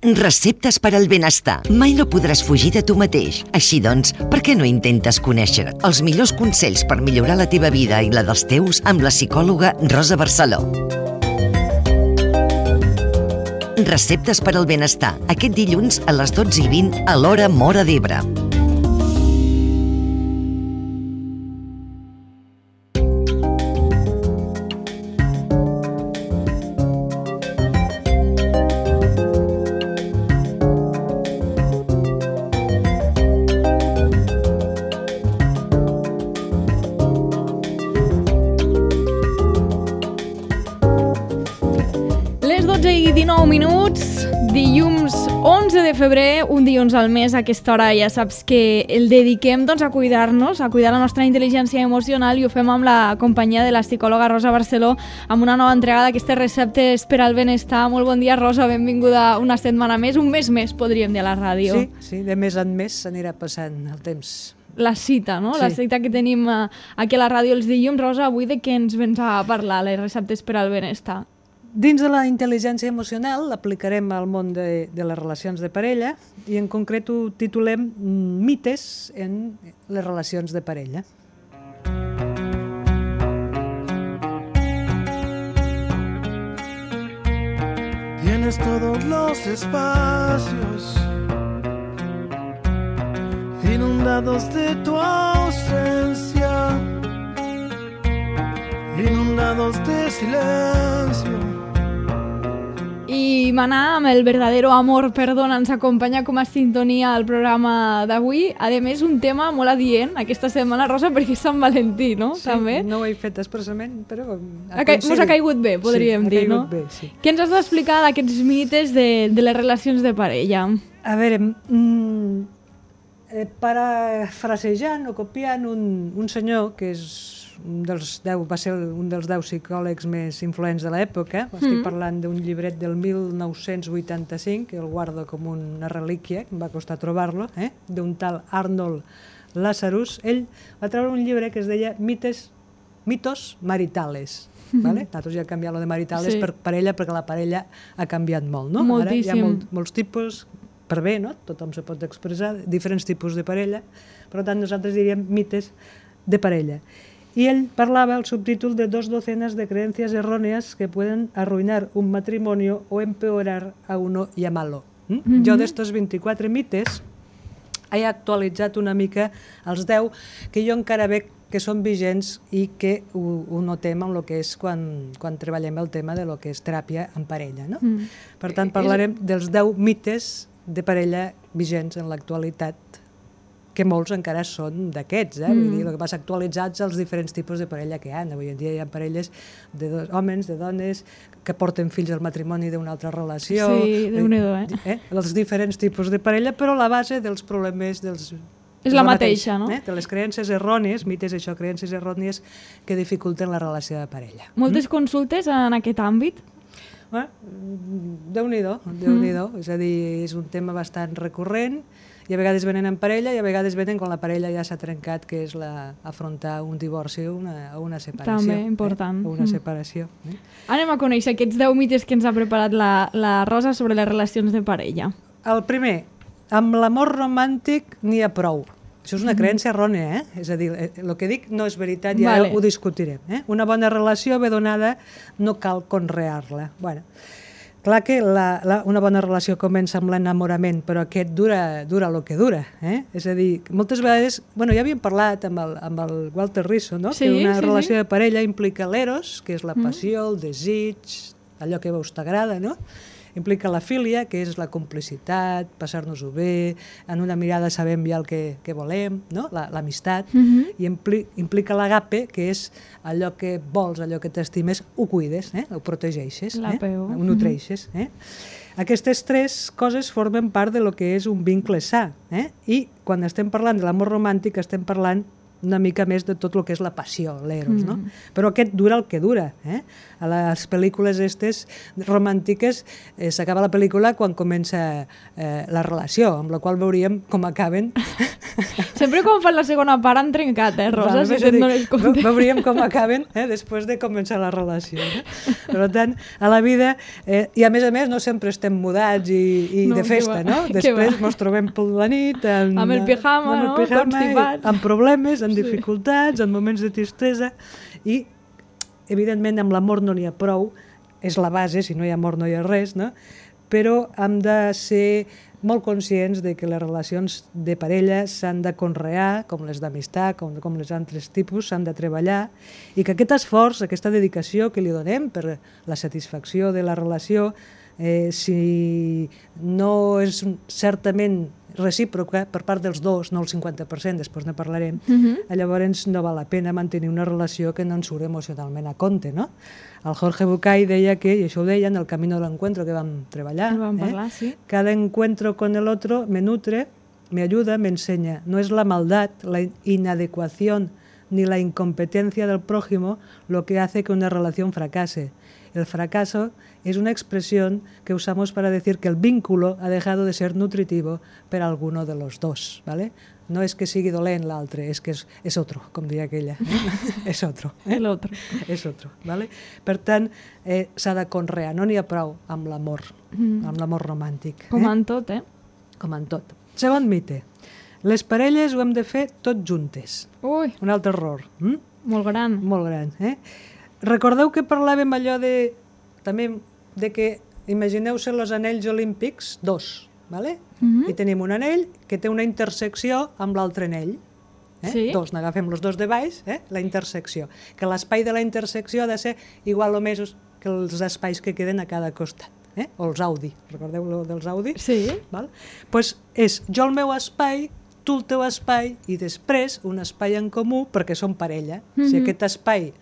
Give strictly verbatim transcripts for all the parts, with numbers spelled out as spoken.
Receptes per al benestar. Mai no podràs fugir de tu mateix. Així doncs, per què no intentes conèixer els millors consells per millorar la teva vida i la dels teus amb la psicòloga Rosa Barceló? Receptes per al benestar. Aquest dilluns a les dotze i vint a l'hora Móra d'Ebre. I dinou minuts, dilluns onze de febrer, un dilluns al mes. A aquesta hora ja saps que el dediquem doncs, a cuidar-nos, a cuidar la nostra intel·ligència emocional, i ho fem amb la companyia de la psicòloga Rosa Barceló amb una nova entrega d'aquestes receptes per al benestar. Molt bon dia, Rosa, benvinguda una setmana més, un mes més, podríem dir, a la ràdio. Sí, sí, de mes en mes s'anirà passant el temps. La cita, no? Sí. La cita que tenim aquí a la ràdio els dilluns. Rosa, avui de què ens vens a parlar, les receptes per al benestar? Dins de la intel·ligència emocional l'aplicarem al món de, de les relacions de parella, i en concret ho titulem mites en les relacions de parella. Tienes todos los espacios inundados de tu ausencia, inundados de silencio. I Maná, amb el verdadero amor, perdona, ens acompanya com a sintonia al programa d'avui. A més, un tema molt adient aquesta setmana, Rosa, perquè és Sant Valentí, no? Sí, també. No ho he fet expressament, però... Ha ca... Mos ha caigut bé, podríem sí, dir, no? Bé, sí. Què ens has d'explicar d'aquests mites de, de les relacions de parella? A veure, mm, eh, parafrasejant o copiant un, un senyor que és un dels deu, va ser un dels deu psicòlegs més influents de l'època. Mm. Estic parlant d'un llibret del mil nou-cents vuitanta-cinc, que el guardo com una relíquia, que em va costar trobar-lo, eh? d'un tal Arnold Lazarus. Ell va treure un llibre que es deia Mites, Mitos Maritales. Mm-hmm. Vale? Nosaltres ja hem canviat lo de maritales sí. per parella, perquè la parella ha canviat molt. No? Moltíssim. Ara hi ha molt, molts tipus, per bé, no? Tothom se pot expressar, diferents tipus de parella. Per tant, nosaltres diríem mites de parella. Y él parlava, el subtítol, de dos docenas de creencias erróneas que pueden arruinar un matrimonio o empeorar a uno y llamarlo. ¿Mm? Mm-hmm. Jo d'estos vint-i-quatre mites he actualitzat una mica els deu que jo encara veig que són vigents i que ho, ho notem en el que és quan, quan treballem el tema de lo que és teràpia en parella. No? Mm. Per tant, parlarem dels deu mites de parella vigents en l'actualitat, que molts encara són d'aquests, eh? Mm. Vull dir, el que passa actualitzats els diferents tipus de parella que hi ha. Avui en dia hi ha parelles de dos, homes, de dones, que porten fills al matrimoni d'una altra relació. Sí, Déu-n'hi-do, eh? eh? Els diferents tipus de parella, però la base dels problemes dels... És la mateixa, no? Eh? De les creences errònies, mites, això, creences errònies que dificulten la relació de parella. Moltes mm? consultes en aquest àmbit? Eh? Déu-n'hi-do, Déu-n'hi-do. Mm. És a dir, és un tema bastant recurrent, i a vegades venen en parella i a vegades venen quan la parella ja s'ha trencat, que és la, afrontar un divorci o una, una separació. També, important. Eh? O una separació. Eh? Anem a conèixer aquests deu mites que ens ha preparat la, la Rosa sobre les relacions de parella. El primer, amb l'amor romàntic n'hi ha prou. Això és una creença errònia, eh? És a dir, el que dic no és veritat i ara vale. Ho discutirem. Eh? Una bona relació ben donada no cal conrear-la. Bueno, clar que la, la, una bona relació comença amb l'enamorament, però aquest dura, dura el que dura. Eh? És a dir, moltes vegades... Bueno, ja havíem parlat amb el, amb el Walter Rizzo, no? Sí, que una sí, relació sí. de parella implica l'eros, que és la passió, el desig, allò que a veus t'agrada, no? Implica la filia, que és la complicitat, passar-nos-ho bé, en una mirada sabem ja el que, que volem, no? L'amistat, la, uh-huh. i impli, implica l'agape, que és allò que vols, allò que t'estimes, ho cuides, eh? Ho protegeixes, eh? Ho nutreixes. Eh? Aquestes tres coses formen part de lo que és un vincle sa, eh? I quan estem parlant de l'amor romàntic estem parlant una mica més de tot el que és la passió, l'eros, mm. no? Però aquest dura el que dura, eh? A les pel·lícules estes romàntiques eh, s'acaba la pel·lícula quan comença eh, la relació, amb la qual veuríem com acaben Sempre quan fan la segona part han trencat, eh, Rosa, Vale, si per te'n això dic, dones compte. ve- Veuríem com acaben eh, després de començar la relació. Eh? Per tant, a la vida, eh, i a més a més no sempre estem mudats i, i No, de que festa, va, no? que Després va. ens trobem per la nit amb, Amb el pijama, amb el no? pijama, Constipats. i, amb problemes, amb dificultats, en moments de tristesa i, evidentment, amb l'amor no n'hi ha prou, és la base, si no hi ha amor no hi ha res, no? Però hem de ser molt conscients de que les relacions de parella s'han de conrear, com les d'amistat, com, com les altres tipus, s'han de treballar, i que aquest esforç, aquesta dedicació que li donem per la satisfacció de la relació, eh, si no és certament recíproca per part dels dos, no el cinquanta per cent, després ne parlarem, Mhm. llavors no val la pena mantenir una relació que no ens surt emocionalment a compte, no? El Jorge Bucay deia que, i això ho deia en el Camino del Encuentro que vam treballar, En vam eh? parlar, sí. Cada encuentro con el otro me nutre, me ayuda, me enseña. No es la maldad, la inadecuación ni la incompetencia del prójimo lo que hace que una relación fracase. El fracaso es una expresión que usamos para decir que el vínculo ha dejado de ser nutritivo per alguno de los dos, ¿vale? No és que sigui dolent l'altre, és que és, és otro, com diria aquella. Eh? és otro. Eh? El otro. és otro, ¿vale? Per tant, eh, s'ha de conrear, no n'hi ha prou amb l'amor, Mm. amb l'amor romàntic. Com eh? en tot, eh? Com en tot. Segon mite. Les parelles ho hem de fer tot juntes. Ui, Un altre error. Mm? molt gran. Molt gran. Eh? Recordeu que parlàvem allò de, també, de que imagineu-se els anells olímpics, dos, ¿vale? Mhm. I tenim un anell que té una intersecció amb l'altre anell. Eh? Sí. Dos, n'agafem els dos de baix, eh? La intersecció. Que l'espai de la intersecció ha de ser igual o més que els espais que queden a cada costat. Eh? O els Audi, recordeu lo dels Audi? Sí. Val? Pues és jo el meu espai, tu el teu espai i després un espai en comú perquè som parella. Mhm. Si aquest espai,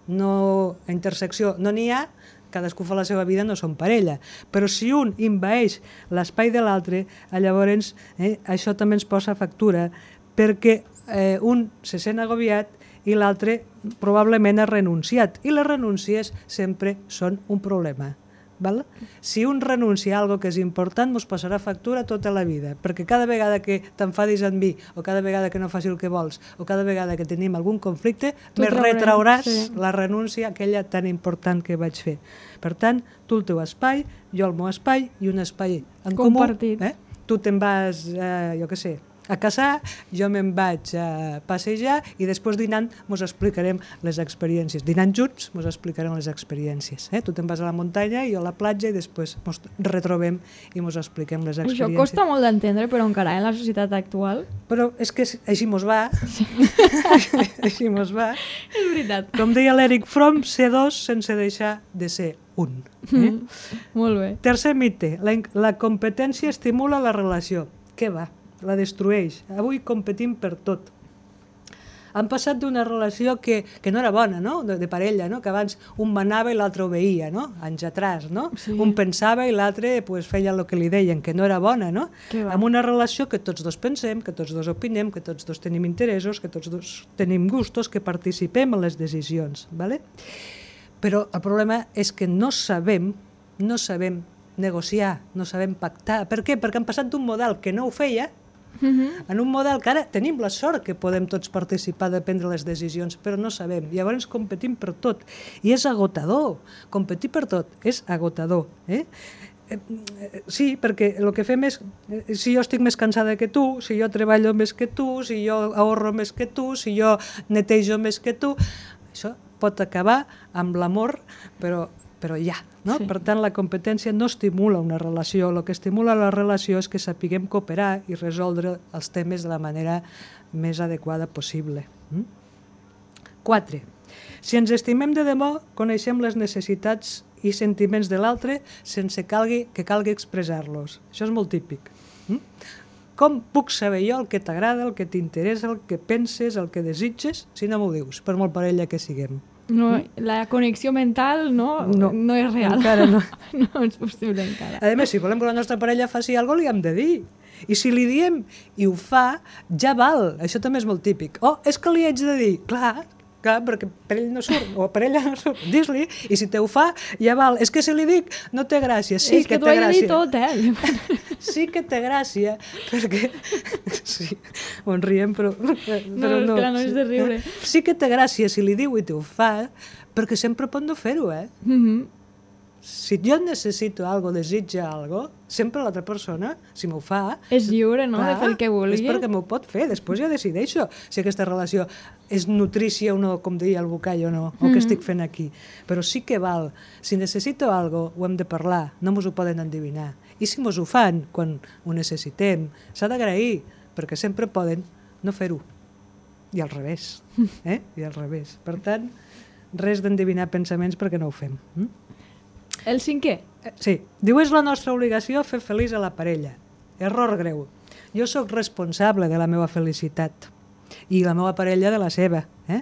no, a intersecció, no n'hi ha, cadascú fa la seva vida, no som parella. Però si un invaeix l'espai de l'altre, llavors eh, això també ens posa factura perquè eh, un se sent agobiat i l'altre probablement ha renunciat. I les renúncies sempre són un problema. Val? Si un renuncia a algo que és important, ens passarà factura tota la vida, perquè cada vegada que t'enfadis amb mi, o cada vegada que no faci el que vols, o cada vegada que tenim algun conflicte, Tu me traurem, retrauràs sí. la renúncia aquella tan important que vaig fer. Per tant, tu el teu espai, jo el meu espai, i un espai en Compartit. comú. Eh? Tu te'n vas, eh, jo què sé, a caçar, jo me'n vaig a passejar i després dinant ens explicarem les experiències. Dinant junts ens explicarem les experiències. Eh? Tu te'n vas a la muntanya i jo a la platja i després ens retrobem i ens expliquem les Això experiències. costa molt d'entendre, però encara en la societat actual. Però és que així mos va. així mos va. És veritat. Com deia l'Eric Fromm, ser dos sense deixar de ser un. Eh? Molt bé. Tercer mite, la, in- la competència estimula la relació. Què va? La destrueix. Avui competim per tot. Han passat d'una relació que, que no era bona, no? De, de parella, no? Que abans un manava i l'altre obeïa, no? Anys atràs, no? Sí. Un pensava i l'altre pues, feia el que li deien, que no era bona, no? Què va? Amb una relació que tots dos pensem, que tots dos opinem, que tots dos tenim interessos, que tots dos tenim gustos, que participem en les decisions, ¿vale? Però el problema és que no sabem, no sabem negociar, no sabem pactar. Per què? Perquè han passat d'un model que no ho feia en un model que ara tenim la sort que podem tots participar de prendre les decisions, però no sabem. Llavors competim per tot. I és agotador. Competir per tot és agotador. Eh? Eh, Sí, perquè el que fem és, eh, si jo estic més cansada que tu, si jo treballo més que tu, si jo ahorro més que tu, si jo netejo més que tu, això pot acabar amb l'amor, però, però ja. No? Sí. Per tant, la competència no estimula una relació. El que estimula la relació és que sapiguem cooperar i resoldre els temes de la manera més adequada possible. Mm? Quatre. Si ens estimem de debò, coneixem les necessitats i sentiments de l'altre sense calgui, que calgui expressar-los. Això és molt típic. Mm? Com puc saber jo el que t'agrada, el que t'interessa, el que penses, el que desitges, si no m'ho dius, per molt parella que siguem? No, la connexió mental no, no, no és real. Encara no. No és possible encara. A més, si volem que la nostra parella faci alguna cosa, li hem de dir. I si li diem i ho fa, ja val. Això també és molt típic. Oh, és que li haig de dir. Clar, clar, perquè per ell no surt, o per ella no surt, dis-li, i si te ho fa, ja val. És que si li dic, no té gràcia. Sí és que, que t'ho té he de dir gràcia. tot, eh? Sí que té gràcia, perquè... Sí, on riem, però... però No, clar, no és de riure. Sí que té gràcia si li diu i te ho fa, perquè sempre pot no fer-ho, eh? Mhm. Si jo necessito algo, desitja algo, sempre l'altra persona, si m'ho fa... És lliure, no?, de clar, fer el que vulgui. És perquè m'ho pot fer, després ja decideixo si aquesta relació és nutrícia o no, com deia el Bucay o no, o què estic fent aquí. Però sí que val, si necessito algo, ho hem de parlar, no mos ho poden endevinar. I si mos ho fan quan ho necessitem, s'ha d'agrair, perquè sempre poden no fer-ho. I al revés, eh? I al revés. Per tant, res d'endevinar pensaments perquè no ho fem. Mm? El cinquè. Eh, Sí, diu és la nostra obligació fer feliç a la parella. Error greu. Jo sóc responsable de la meva felicitat i la meva parella de la seva. Eh?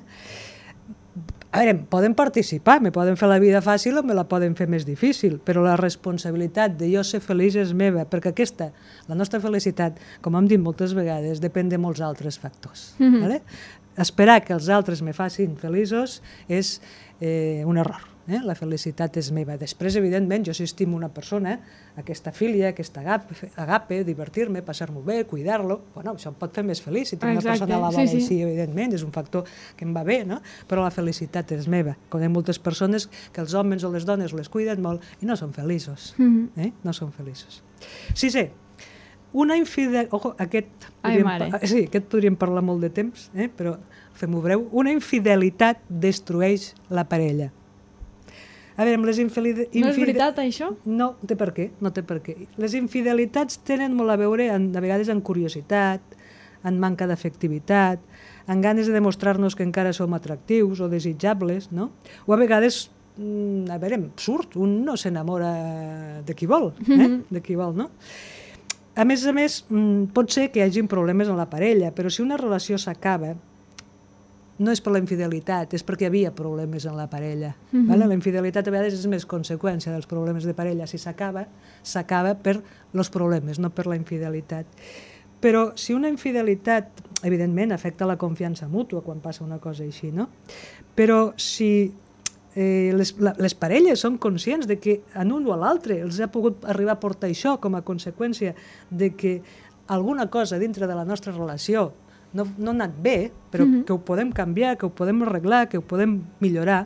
A veure, poden participar, me poden fer la vida fàcil o me la poden fer més difícil, però la responsabilitat de jo ser feliç és meva, perquè aquesta, la nostra felicitat, com hem dit moltes vegades, depèn de molts altres factors. Mm-hmm. Vale? Esperar que els altres me facin feliços és eh, un error. Eh? La felicitat és meva. Després, evidentment, jo si estimo una persona, aquesta filia, aquesta agape, agape divertir-me, passar-m'ho bé, cuidar-lo, bueno, això em pot fer més feliç. Si tinc una Exacte, persona a la sí, vora sí. així, evidentment, és un factor que em va bé, no? Però la felicitat és meva. Conec moltes persones que els homes o les dones les cuiden molt i no són feliços. Mhm. Eh? No són feliços. Sisè, una infidel... Ojo, aquest... Ai, podríem mare. pa- Sí, aquest podríem parlar molt de temps, eh? Però fem-ho breu. Una infidelitat destrueix la parella. A veure, amb les infidelitats... No és veritat, això? No té per què, no té per què. Les infidelitats tenen molt a veure, en, a vegades, en curiositat, en manca d'efectivitat, en ganes de demostrar-nos que encara som atractius o desitjables, no? O a vegades, mm, a veure, surt, un no s'enamora de qui vol, eh? De qui vol, no? A més a més, mm, pot ser que hi hagi problemes en la parella, però si una relació s'acaba, no és per la infidelitat, és perquè hi havia problemes en la parella. Mm-hmm. Vale? La infidelitat a vegades és més conseqüència dels problemes de parella. Si s'acaba, s'acaba per els problemes, no per la infidelitat. Però si una infidelitat, evidentment, afecta la confiança mútua quan passa una cosa així, no? Però si eh, les, la, les parelles són conscients de que en un o a l'altre els ha pogut arribar a portar això com a conseqüència de que alguna cosa dintre de la nostra relació no, no ha anat bé, però mm-hmm. que ho podem canviar, que ho podem arreglar, que ho podem millorar,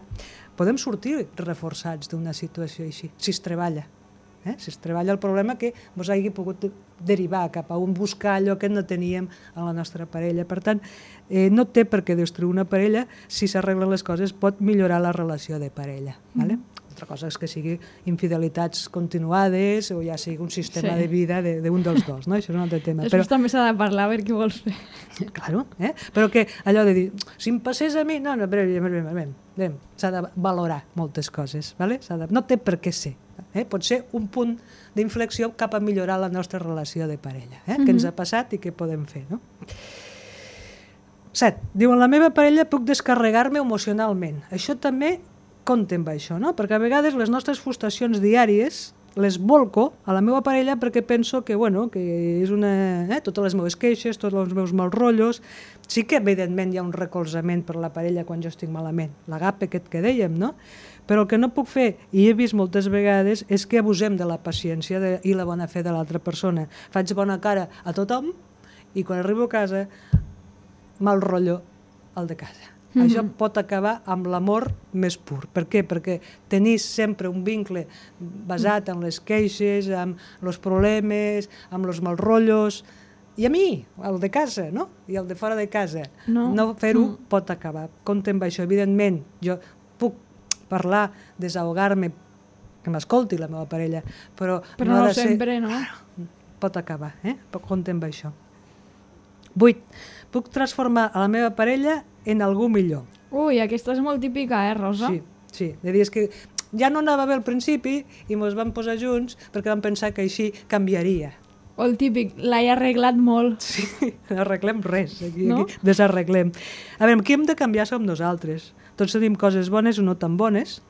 podem sortir reforçats d'una situació així, si es treballa. Eh? Si es treballa el problema que ens hagi pogut derivar cap a un buscar allò que no teníem en la nostra parella. Per tant, eh, no té per què destruir una parella, si s'arreglen les coses pot millorar la relació de parella. Mm-hmm. Vale? Altra cosa és que sigui infidelitats continuades o ja sigui un sistema Sí. de vida d'un dels dos, no? Això és un altre tema. Després també s'ha de parlar, a veure què vols fer. Claro, eh? Però que allò de dir, si em passés a mi, no, no, però, s'ha de valorar moltes coses, ¿vale? S'ha de, no té per què ser. Eh? Pot ser un punt d'inflexió cap a millorar la nostra relació de parella, eh? Mm-hmm. Què ens ha passat i què podem fer, no? Set, diu, en la meva parella puc descarregar-me emocionalment. Això també compta amb això, no? Perquè a vegades les nostres frustracions diàries les volco a la meva parella perquè penso que, bueno, que és una... Eh, totes les meves queixes, tots els meus mals rotllos... Sí que, evidentment, hi ha un recolzament per la parella quan jo estic malament, l'agape aquest que dèiem, no? Però el que no puc fer, i he vist moltes vegades, és que abusem de la paciència de, i la bona fe de l'altra persona. Faig bona cara a tothom i quan arribo a casa, mal rotllo al de casa. Mm-hmm. Això pot acabar amb l'amor més pur. Per què? Perquè tenir sempre un vincle basat en les queixes, amb els problemes, amb els mal rotllos, i a mi, el de casa, no? I el de fora de casa. No, no fer-ho mm. pot acabar. Compte amb això. Evidentment, jo puc parlar, desahogar-me, que m'escolti la meva parella, però, però no, no ha de sempre, ser... no? Pot acabar, eh? Compte amb això. Vuit. Puc transformar a la meva parella en algú millor. Ui, aquesta és molt típica, eh, Rosa? Sí, sí. De dir, és que ja no anava bé al principi i ens vam posar junts perquè vam pensar que així canviaria. O el típic, l'he arreglat molt. Sí, no arreglem res, aquí, No? aquí desarreglem. A veure, qui hem de canviar som nosaltres. Tots tenim coses bones o no tan bones,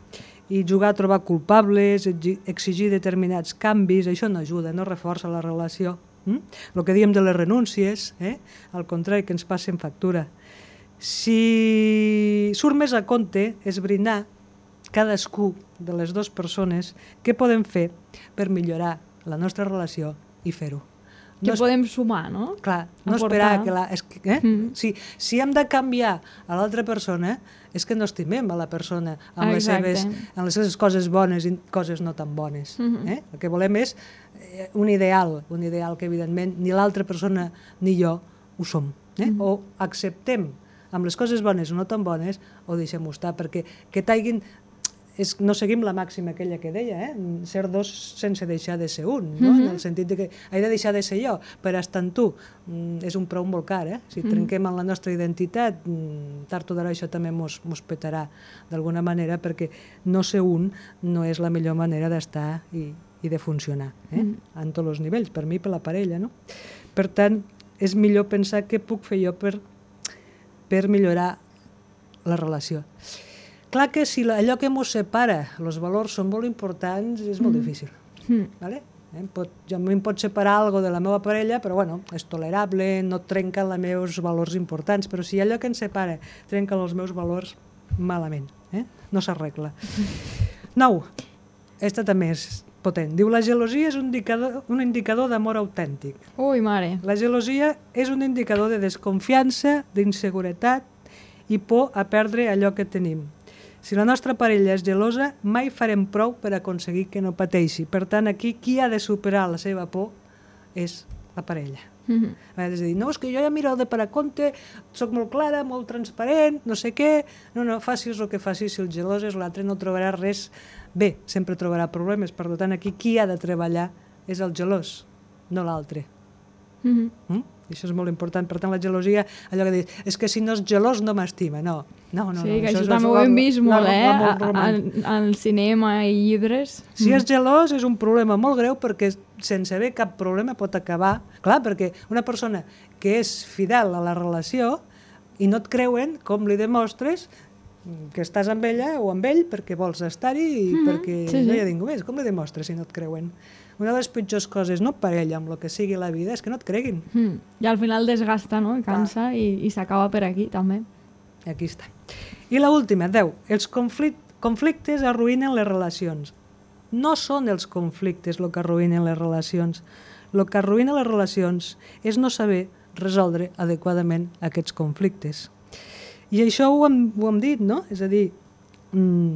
i jugar a trobar culpables, exigir determinats canvis, això no ajuda, no reforça la relació. Mm? El que diem de les renúncies, eh? Al contrari, que ens passen factura. Si surt més a compte esbrinar cadascú de les dues persones què podem fer per millorar la nostra relació i fer-ho. Que No es- podem sumar, no? Clar, no Aportar. esperar que la... És que, eh? Mm. si, si hem de canviar a l'altra persona, és que no estimem a la persona amb les, Exacte. seves, amb les seves coses bones i coses no tan bones. Mhm. eh? El que volem és eh, un ideal, un ideal que evidentment ni l'altra persona ni jo ho som. Eh? Mhm. O acceptem amb les coses bones o no tan bones o deixem-ho estar, perquè que t'haguin... És, no seguim la màxima aquella que deia, eh? Ser dos sense deixar de ser un, no? Mhm. En el sentit de que he de deixar de ser jo per estar en tu. Mm, és un preu molt car, eh? Si trenquem en la nostra identitat, mm, tard o d'hora això també mos, mos petarà d'alguna manera, perquè no ser un no és la millor manera d'estar i, i de funcionar, eh? En tots els nivells, per mi i per la parella, no? Per tant, és millor pensar què puc fer jo per, per millorar la relació. Clar que si la- allò que ens separa, els valors són molt importants, és molt difícil. Mm. Vale? Eh, pot, jo a mi em pot separar algo de la meva parella, però bueno, és tolerable, no trenca els meus valors importants, però si allò que ens separa trenca els meus valors, malament, eh? No s'arregla. Nou, esta també és potent. Diu, la gelosia és un indicador, un indicador d'amor autèntic. Ui, mare. La gelosia és un indicador de desconfiança, d'inseguretat i por a perdre allò que tenim. Si la nostra parella és gelosa, mai farem prou per aconseguir que no pateixi. Per tant, aquí, qui ha de superar la seva por és la parella. Mhm. És a dir, no, és que jo ja miro de per a compte, soc molt clara, molt transparent, no sé què. No, no, facis el que facis, si el gelós és l'altre no trobarà res bé, sempre trobarà problemes. Per tant, aquí qui ha de treballar és el gelós, no l'altre. Mhm. Mm? I això és molt important. Per tant, la gelosia, allò que dius, és que si no és gelós no m'estima. No, no, no. Sí, no, que això és també ho la- hem vist la- molt, la- eh? l'amor a- a- romàntic. Al cinema i llibres. Si és gelós és un problema molt greu perquè sense haver cap problema pot acabar. Clar, perquè una persona que és fidel a la relació i no et creuen, com li demostres que estàs amb ella o amb ell perquè vols estar-hi i perquè sí, no sí. hi ha ningú més. Com li demostres si no et creuen? Una de les pitjors coses, no parella, amb el que sigui la vida, és que no et creguin. Mm. I al final desgasta, no? I cansa i, i s'acaba per aquí, també. Aquí està. I l'última, deu. Els conflic conflictes arruïnen les relacions. No són els conflictes el que arruïnen les relacions. El que arruïna les relacions és no saber resoldre adequadament aquests conflictes. I això ho hem, ho hem dit, no? És a dir, mm,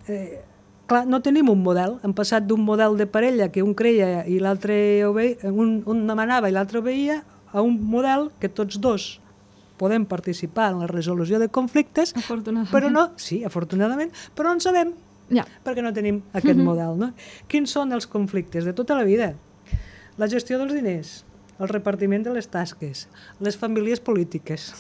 eh, clar, no tenim un model. Hem passat d'un model de parella que un creia i l'altre obeïa, un, un demanava i l'altre obeïa, a un model que tots dos podem participar en la resolució de conflictes, Afortunadament. però no, sí, afortunadament, però no en sabem, Ja. perquè no tenim aquest model. No? Quins són els conflictes de tota la vida? La gestió dels diners, el repartiment de les tasques, les famílies polítiques.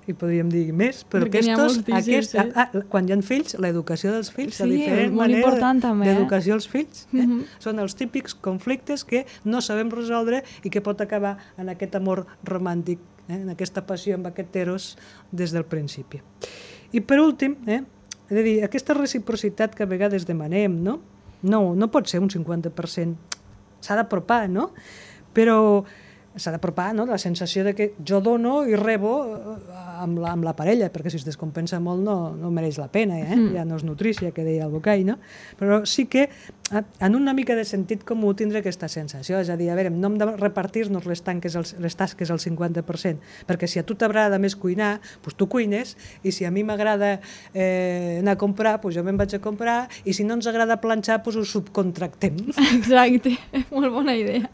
I podríem dir més, però Perquè n'hi ha aquests, moltíssims, aquests, sí. ah, ah, quan hi ha fills, l'educació dels fills, la Sí, diferent molt manera important també, eh? d'educació als fills, eh? Mhm. són els típics conflictes que no sabem resoldre i que pot acabar en aquest amor romàntic, eh? en aquesta passió, amb aquest eros des del principi. I per últim, eh? he de dir, aquesta reciprocitat que a vegades demanem, no? No, no pot ser un cinquanta per cent, s'ha d'apropar, no? Però s'ha d'apropar, no? La sensació de que jo dono i rebo eh, amb la, amb la parella, perquè si es descompensa molt no, no mereix la pena, eh? Mm. Ja no és nutrícia, que deia el Bocai, no? Però sí que eh, en una mica de sentit comú tindre aquesta sensació, és a dir, a veure, no hem de repartir-nos les, tanques, al- les tasques al cinquanta per cent, perquè si a tu t'agrada més cuinar, doncs tu cuines, i si a mi m'agrada eh, anar a comprar, doncs jo me'n vaig a comprar, i si no ens agrada planxar, doncs ho subcontractem. Exacte, molt bona idea.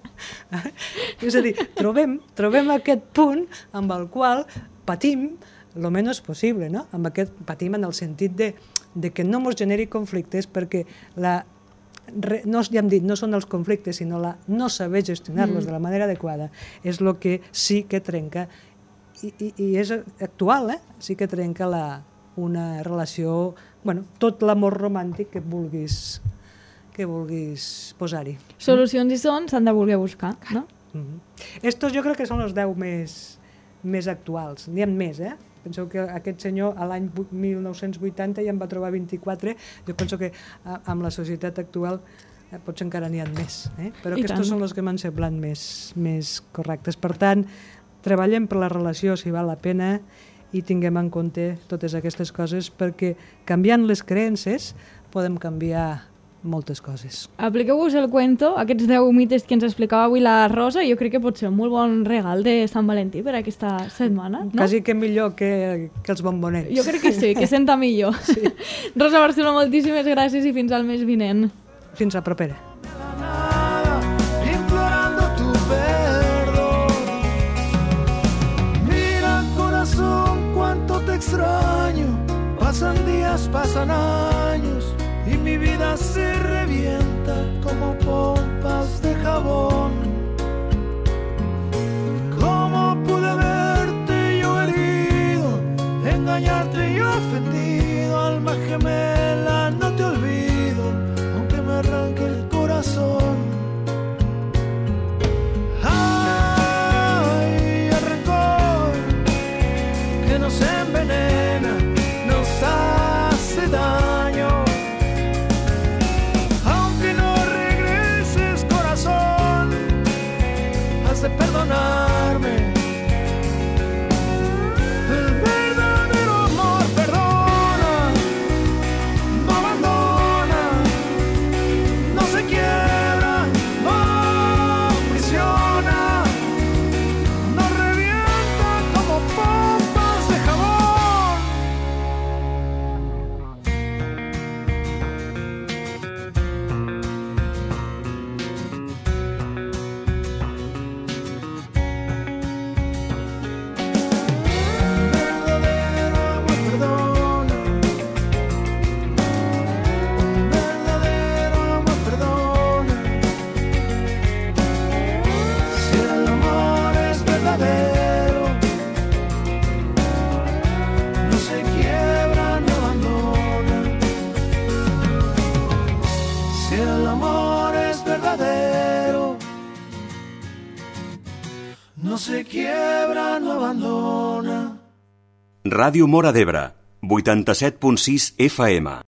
És a dir, trobem, trobem aquest punt amb el qual patim el menys possible, no? Amb aquest patim en el sentit de, de que no ens generi conflictes perquè la, re, no, ja hem dit, no són els conflictes, sinó la no saber gestionar-los mm. de la manera adequada és el que sí que trenca i, i, i és actual, eh? Sí que trenca la, una relació, bueno, tot l'amor romàntic que vulguis que vulguis posar-hi. Solucions hi són, s'han de voler buscar, no? Mm-hmm. Estos jo crec que són els deu més, més actuals. N'hi ha més, eh? Penseu que aquest senyor a l'any mil nou-cents vuitanta ja en va trobar vint-i-quatre. Jo penso que a, amb la societat actual eh, potser encara n'hi ha més. Eh? Però I aquests tant. són els que m'han semblat més, més correctes. Per tant, treballem per la relació si val la pena i tinguem en compte totes aquestes coses, perquè canviant les creences podem canviar moltes coses. Apliqueu-vos el cuento, aquests deu mites que ens explicava avui la Rosa, jo crec que pot ser un molt bon regal de Sant Valentí per aquesta setmana, no? Quasi que millor que, que els bombonets. Jo crec que sí, que senta millor. Sí. Rosa Barceló, moltíssimes gràcies i fins al mes vinent. Fins a propera. Implorando tu perdón. Mira, corazón, cuánto te extraño. Pasan días, pasan años y mi vida se revienta como pompas de jabón. ¿Cómo pude verte yo herido, engañarte y ofendido? Alma gemela, no te olvido, aunque me arranque el corazón. Ay, el rencor que nos envenena, nos hace daño. De perdonarme. El verdadero amor perdona, no abandona, no se quiebra, no prisiona, no revienta como pompas de jabón. No se quiebra, no abandona. Ràdio Móra d'Ebre, vuitanta-set punt sis F M.